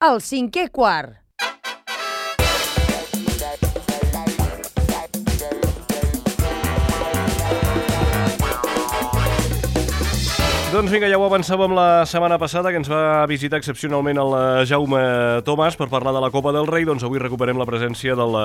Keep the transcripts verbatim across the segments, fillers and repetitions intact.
El cinquè quart. Doncs vinga, ja ho avançàvem la setmana passada, que ens va visitar excepcionalment el Jaume Tomàs per parlar de la Copa del Rei. Doncs avui recuperem la presència del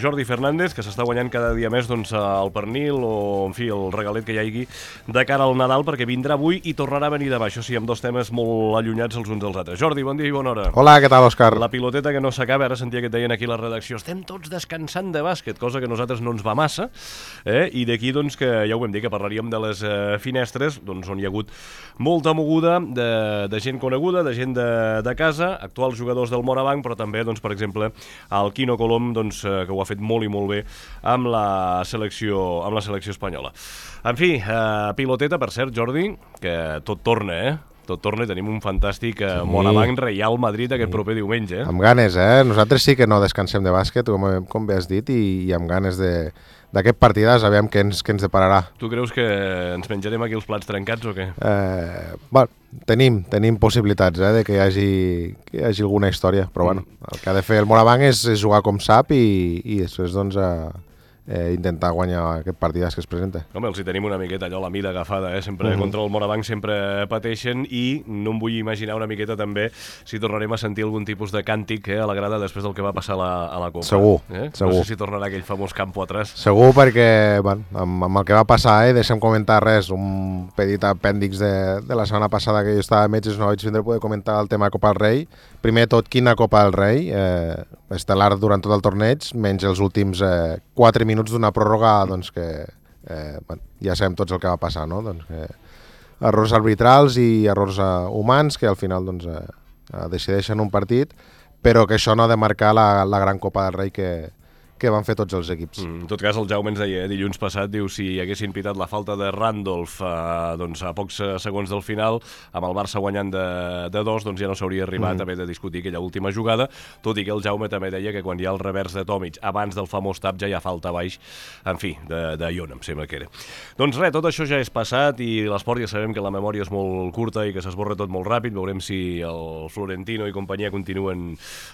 Jordi Fernández, que s'està guanyant cada dia més doncs, el pernil o, en fi, el regalet que hi hagi de cara al Nadal, perquè vindrà avui i tornarà a venir demà. Això sí, amb dos temes molt allunyats els uns dels altres. Jordi, bon dia i bona hora. Hola, què tal, Òscar? La piloteta que no s'acaba, ara sentia que et deien aquí a la redacció, estem tots descansant de bàsquet, cosa que a nosaltres no ens va massa, eh? I d'aquí, doncs, que ja ho vam dir, que parlaríem de les eh, finestres, doncs, on hi ha hagut molta moguda de, de gent coneguda, de gent de, de casa, actuals jugadors del Morabanc, però també, doncs, per exemple, el Quino Colom, doncs, que ho ha fet molt i molt bé amb la selecció, amb la selecció espanyola. En fi, eh, piloteta, per cert, Jordi, que tot torna, eh? Tot torna i tenim un fantàstic eh, sí. Morabanc Real Madrid aquest proper diumenge. Eh? Amb ganes, eh? Nosaltres sí que no descansem de bàsquet, com, com bé has dit, i, i amb ganes de... d'aquest partidàs, aviam què ens, què ens depararà. Tu creus que ens menjarem aquí els plats trencats o què? Eh, bueno, tenim, tenim possibilitats eh, de que hi, hagi, que hi hagi alguna història, però mm. bueno, el que ha de fer el Morabanc és, és jugar com sap i, i després doncs, eh, eh, intentar guanyar aquest partidàs que es presenta. Home, els hi tenim una miqueta allò, la mida agafada, eh? Sempre mm. contra el Morabanc sempre pateixen i no em vull imaginar una miqueta també si tornarem a sentir algun tipus de càntic eh, a la grada després del que va passar a la, a la Copa. Segur, eh? segur. No sé si tornarà aquell famós campo atrás. Segur perquè, bueno, amb, amb el que va passar, eh, deixa'm comentar res, un petit apèndix de, de la setmana passada que jo estava a metges, no vaig vindre a poder comentar el tema Copa del Rei. Primer tot, quina Copa del Rei, eh, estel·lar durant tot el torneig, menys els últims eh, quatre minuts d'una pròrroga, doncs que eh, bueno, ja sabem tots el que va passar, no? Doncs que errors arbitrals i errors eh, humans que al final doncs, eh, decideixen un partit, però que això no ha de marcar la, la gran Copa del Rei que, que van fer tots els equips. Mm, en tot cas, el Jaume ens deia, eh, dilluns passat, diu, si haguessin pitat la falta de Randolph eh, doncs, a pocs segons del final, amb el Barça guanyant de, de dos, doncs ja no s'hauria arribat mm. a haver de discutir aquella última jugada, tot i que el Jaume també deia que quan hi ha el revers de Tomic, abans del famós tap, ja hi ha falta baix, en fi, de, de Iona, em sembla que era. Doncs res, tot això ja és passat i l'esport ja sabem que la memòria és molt curta i que s'esborra tot molt ràpid, veurem si el Florentino i companyia continuen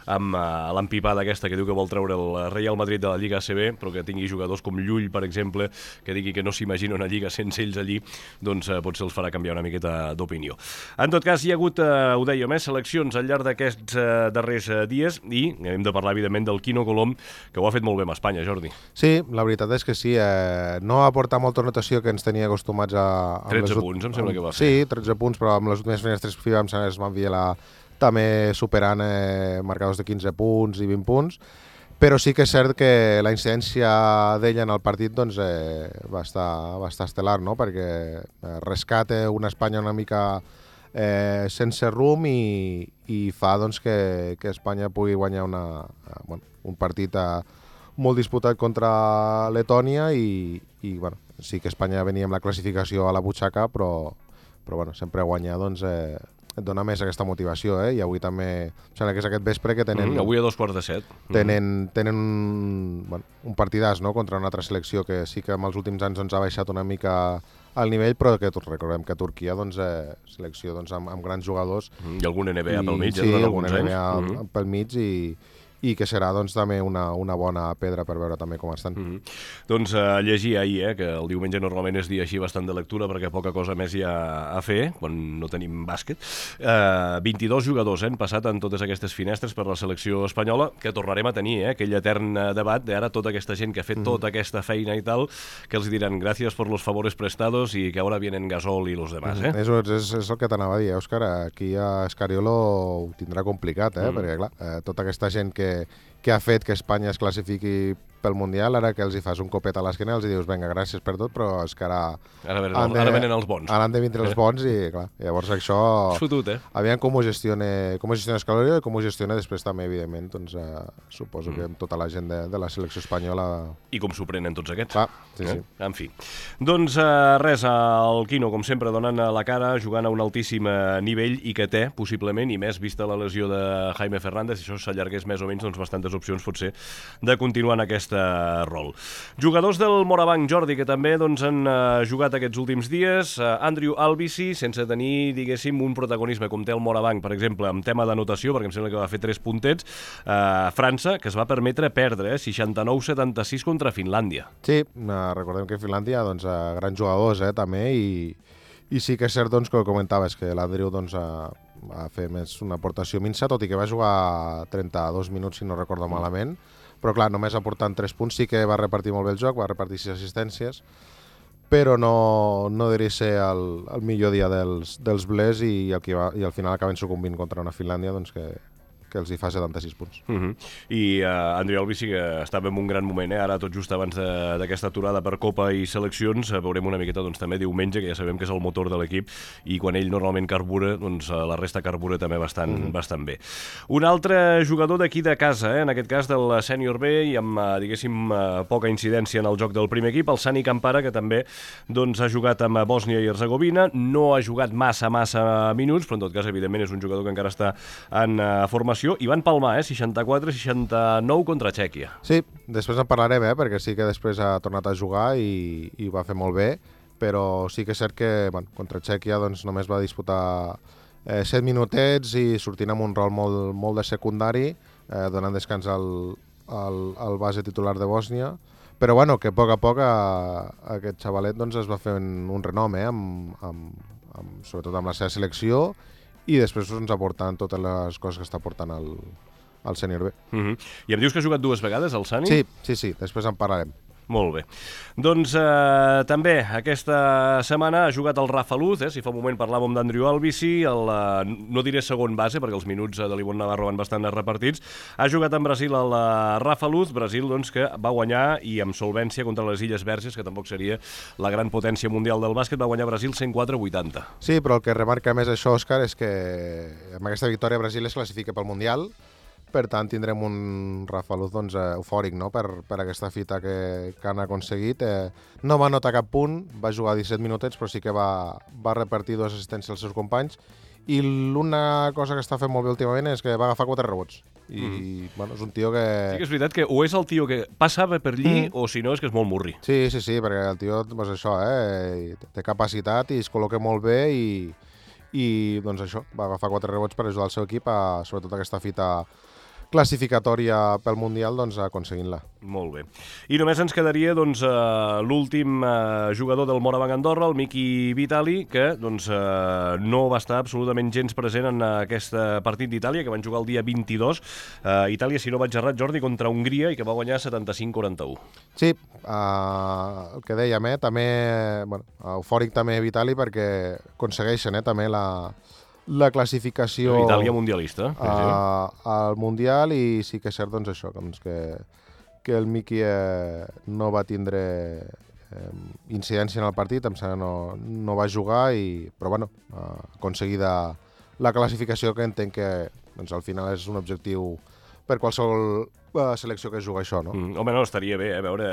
amb uh, l'empipada aquesta que diu que vol treure el Real Madrid de la Lliga A C B, però que tingui jugadors com Llull, per exemple, que digui que no s'imagina una lliga sense ells allí, doncs eh, potser els farà canviar una miqueta d'opinió. En tot cas, hi ha hagut, eh, ho dèiem, eh, seleccions al llarg d'aquests eh, darrers eh, dies i hem de parlar, evidentment, del Quino Colom, que ho ha fet molt bé amb Espanya, Jordi. Sí, la veritat és que sí. Eh, no ha aportat molta rotació que ens tenia acostumats a... tretze punts, em sembla que va fer. Sí, tretze punts, però amb les últimes finestres FIBA es van violar també superant eh, marcadors de quinze punts i vint punts. Però sí que és cert que la incidència d'ella en el partit doncs, eh, va, estar, va estar estel·lar, no? Perquè eh, rescata una Espanya una mica eh, sense rumb i, i fa doncs, que, que Espanya pugui guanyar una, eh, bueno, un partit eh, molt disputat contra Letònia i, i bueno, sí que Espanya venia amb la classificació a la butxaca, però, però bueno, sempre guanyar doncs, eh, et dona més aquesta motivació, eh? I avui també, em sembla que és aquest vespre que tenen... Mm, avui a dos quarts de set. Tenen, tenen un, bueno, un partidàs, no?, contra una altra selecció que sí que en els últims anys doncs, ha baixat una mica al nivell, però que recordem que Turquia, doncs, eh, selecció doncs, amb, amb grans jugadors... Mm, I algun N B A pel mig, sí, ja durant alguns alguns anys. Sí, algun N B A mm. pel mig i... i que serà doncs, també una, una bona pedra per veure també com estan. Mm -hmm. Doncs uh, llegir ahir, eh, que el diumenge normalment és dia així bastant de lectura perquè poca cosa més hi ha a fer, quan no tenim bàsquet. Uh, vint-i-dos jugadors eh, han passat en totes aquestes finestres per la selecció espanyola, que tornarem a tenir, eh, aquell etern debat d'ara tota aquesta gent que ha fet mm -hmm. tota aquesta feina i tal, que els diran gràcies per los favores prestados i que ara vienen Gasol i los demás. Eh? Mm -hmm. és, és, és el que t'anava a dir, Òscar, aquí a Escariolo ho tindrà complicat, eh, mm -hmm. perquè clar, eh, tota aquesta gent que que ha fet que Espanya es classifiqui pel Mundial, ara que els hi fas un copet a l'esquena els hi dius, vinga, gràcies per tot, però és que ara... Ara venen, de, ara venen els bons. Ara han de vindre els bons i, clar, llavors això... Fotut, eh? Aviam com ho gestiona, com ho gestiona Escalori i com ho gestiona després també, evidentment, doncs eh, suposo mm. que amb tota la gent de, de la selecció espanyola... I com s'ho prenen tots aquests. Clar, sí, eh? sí. En fi. Doncs eh, res, el Quino, com sempre, donant la cara, jugant a un altíssim nivell i que té, possiblement, i més vista la lesió de Jaime Fernández, si això s'allargués més o menys doncs, bastantes més opcions potser de continuar en aquest rol. Jugadors del Morabanc, Jordi, que també doncs, han uh, jugat aquests últims dies. Uh, Andrew Albici, sense tenir, diguéssim, un protagonisme com té el Morabanc, per exemple, en tema d'anotació, perquè em sembla que va fer tres puntets. Uh, França, que es va permetre perdre, eh, seixanta-nou setanta-sis contra Finlàndia. Sí, uh, recordem que Finlàndia, doncs, uh, grans jugadors, eh, també, i, i sí que és cert, doncs, que ho comentaves, que l'Andrew, doncs, uh, va fer més una aportació minsa, tot i que va jugar trenta-dos minuts, si no recordo malament, però clar, només aportant tres punts, sí que va repartir molt bé el joc, va repartir sis assistències, però no, no diria ser el, el millor dia dels, dels Blers i, el que va, i al final acaben sucumbint contra una Finlàndia doncs que, que els hi fa setanta-sis punts. Uh -huh. I uh, Andreu Albi sí que estava en un gran moment, eh? Ara tot just abans d'aquesta aturada per Copa i seleccions, uh, veurem una miqueta doncs, també diumenge, que ja sabem que és el motor de l'equip, i quan ell normalment carbura, doncs uh, la resta carbura també bastant, uh -huh. bastant bé. Un altre jugador d'aquí de casa, eh? En aquest cas del sènior B, i amb, uh, diguéssim, uh, poca incidència en el joc del primer equip, el Sani Campara, que també doncs, ha jugat amb Bòsnia i Herzegovina, no ha jugat massa, massa minuts, però en tot cas, evidentment, és un jugador que encara està en uh, formació, i van palmar, eh? seixanta-quatre seixanta-nou contra Txèquia. Sí, després en parlarem, eh? Perquè sí que després ha tornat a jugar i, i va fer molt bé, però sí que és cert que bueno, contra Txèquia doncs, només va disputar eh, set minutets i sortint amb un rol molt, molt de secundari, eh, donant descans al, al, al base titular de Bòsnia, però bueno, que a poc a poc a, a aquest xavalet doncs, es va fer un, un renom, eh? amb, amb, amb, sobretot amb la seva selecció, i després ens aportant totes les coses que està portant el, el sènior B. Uh -huh. I em dius que has jugat dues vegades, el Sani? Sí, sí, sí, després en parlarem. Molt bé. Doncs eh, també aquesta setmana ha jugat el Rafa Luz, eh? Si fa un moment parlàvem d'Andrew Albici, el, eh, no diré segon base, perquè els minuts de l'Ivon Navarro van bastant repartits. Ha jugat en Brasil el eh, Rafa Luz, Brasil doncs, que va guanyar i amb solvència contra les Illes Verges, que tampoc seria la gran potència mundial del bàsquet, va guanyar Brasil cent quatre a vuitanta. Sí, però el que remarca més això, Òscar, és que amb aquesta victòria Brasil es classifica pel Mundial. Per tant, tindrem un Rafa Luz doncs, eufòric, no? per, per aquesta fita que, que han aconseguit. Eh, no va anotar cap punt, va jugar disset minutets, però sí que va, va repartir dues assistències als seus companys. I l'una cosa que està fent molt bé últimament és que va agafar quatre rebots. I mm. bueno, és un tio que... Sí que és veritat que o és el tio que passava per allí, mm. o si no és que és molt murri. Sí, sí, sí, perquè el tio, doncs això, eh, té capacitat i es col·loca molt bé i, i doncs això, va agafar quatre rebots per ajudar el seu equip a, sobretot aquesta fita classificatòria pel Mundial, doncs, aconseguint-la. Molt bé. I només ens quedaria doncs, uh, l'últim uh, jugador del Morabanc Andorra, el Miki Vitali, que doncs, uh, no va estar absolutament gens present en aquest partit d'Itàlia, que van jugar el dia vint-i-dos. Uh, Itàlia, si no vaig errat, Jordi, contra Hongria, i que va guanyar setanta-cinc a quaranta-u. Sí, uh, el que dèiem, eh, també, bueno, eufòric també Vitali, perquè aconsegueixen eh, també la... la classificació Itàlia mundialista a, al Mundial, i sí que és cert doncs, això, doncs, que, que el Miki eh, no va tindre eh, incidència en el partit, em sembla no, no va jugar, i, però bueno, eh, aconseguida la classificació, que entenc que doncs, al final és un objectiu per qualsevol la selecció que juga això, no? Mm, home, no, estaria bé, eh, veure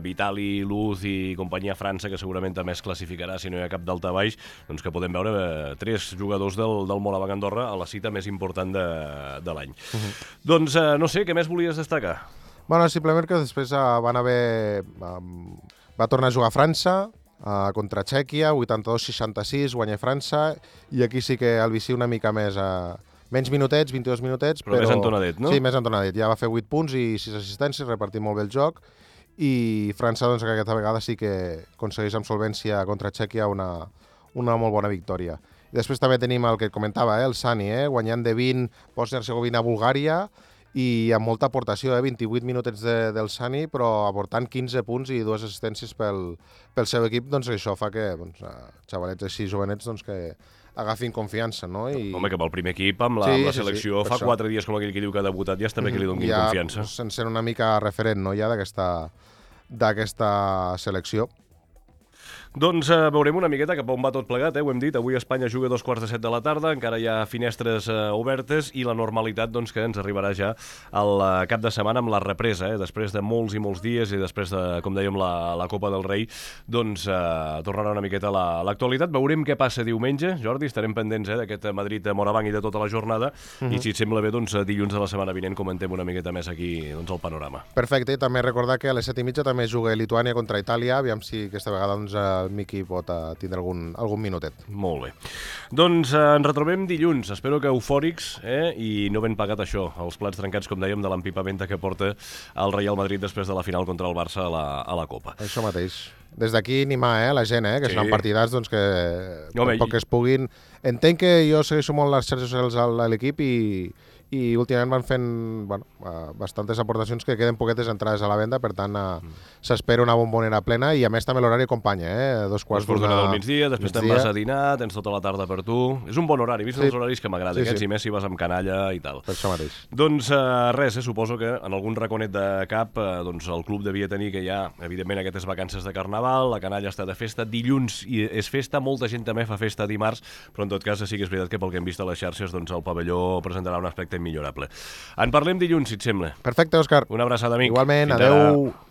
Vitali, Luz i companyia França, que segurament també es classificarà si no hi ha cap d'alta baix, doncs que podem veure eh, tres jugadors del, del Morabanc Andorra a la cita més important de, de l'any. Uh -huh. Doncs, eh, no sé, què més volies destacar? Bueno, simplement que després eh, van haver... Um, va tornar a jugar a França, uh, contra Txèquia, vuitanta-dos seixanta-sis, guanya França, i aquí sí que el vici una mica més... Uh, menys minutets, vint-i-dos minutets, però... Però més entonadet, no? Sí, més entonadet. Ja va fer vuit punts i sis assistències, repartir molt bé el joc, i França, doncs, que aquesta vegada sí que aconsegueix amb solvència contra Txèquia una, una molt bona victòria. I després també tenim el que comentava, eh, el Sani, eh, guanyant de vint, Bòsnia-Herzegovina, Bulgària, i amb molta aportació, eh, vint-i-vuit minutets de, del Sani, però aportant quinze punts i dues assistències pel, pel seu equip, doncs això fa que doncs, xavalets així jovenets doncs, que agafin confiança, no? I... Home, que pel primer equip, amb la, sí, amb la sí, selecció, sí, fa això. quatre dies, com aquell que diu que ha debutat, ja està bé que li donin ja, confiança. Sense ser una mica referent, no?, ja d'aquesta d'aquesta selecció. Doncs eh, veurem una miqueta cap on va tot plegat, eh? Ho hem dit, avui Espanya juga a dos quarts de set de la tarda, encara hi ha finestres eh, obertes i la normalitat doncs, que ens arribarà ja al eh, cap de setmana amb la represa, eh? Després de molts i molts dies i després de, com dèiem, la, la Copa del Rei, doncs eh, tornarà una miqueta a l'actualitat. Veurem què passa diumenge, Jordi, estarem pendents eh, d'aquest Madrid-Morabanc i de tota la jornada, uh-huh. i si et sembla bé, doncs dilluns de la setmana vinent comentem una miqueta més aquí doncs, el panorama. Perfecte, també recordar que a les set i mitja també juga Lituània contra Itàlia, aviam si aquesta vegada doncs, el Miqui pot uh, tindre algun, algun minutet. Molt bé. Doncs eh, ens retrobem dilluns, espero que eufòrics eh, i no ben pagat això, els plats trencats, com dèiem, de l'empipamenta que porta el Real Madrid després de la final contra el Barça a la, a la Copa. Això mateix. Des d'aquí animar eh, la gent, eh, que sí. Seran partidats doncs, que Home, poc que es puguin... Entenc que jo segueixo molt les xarxes socials a l'equip i, i últimament van fent bueno, bastantes aportacions que queden poquetes entrades a la venda, per tant uh, mm. s'espera una bombonera plena i a més també l'horari acompanya, eh? Dos quarts d'una del migdia, després te'n vas a dinar, tens tota la tarda per tu... És un bon horari, vist sí. els horaris que m'agrada, sí, aquests sí. i més si vas amb canalla i tal. Per això mateix. Doncs uh, res, eh? Suposo que en algun raconet de cap uh, doncs el club devia tenir que ja, evidentment, aquestes vacances de Carnaval, la canalla està de festa, dilluns i és festa, molta gent també fa festa dimarts, però en tot cas sí que és veritat que pel que hem vist a les xarxes doncs el pavelló presentarà un aspecte millorable. En parlem dilluns, si et sembla. Perfecte, Òscar. Una abraçada, amic. Igualment, Fins adeu. Ara.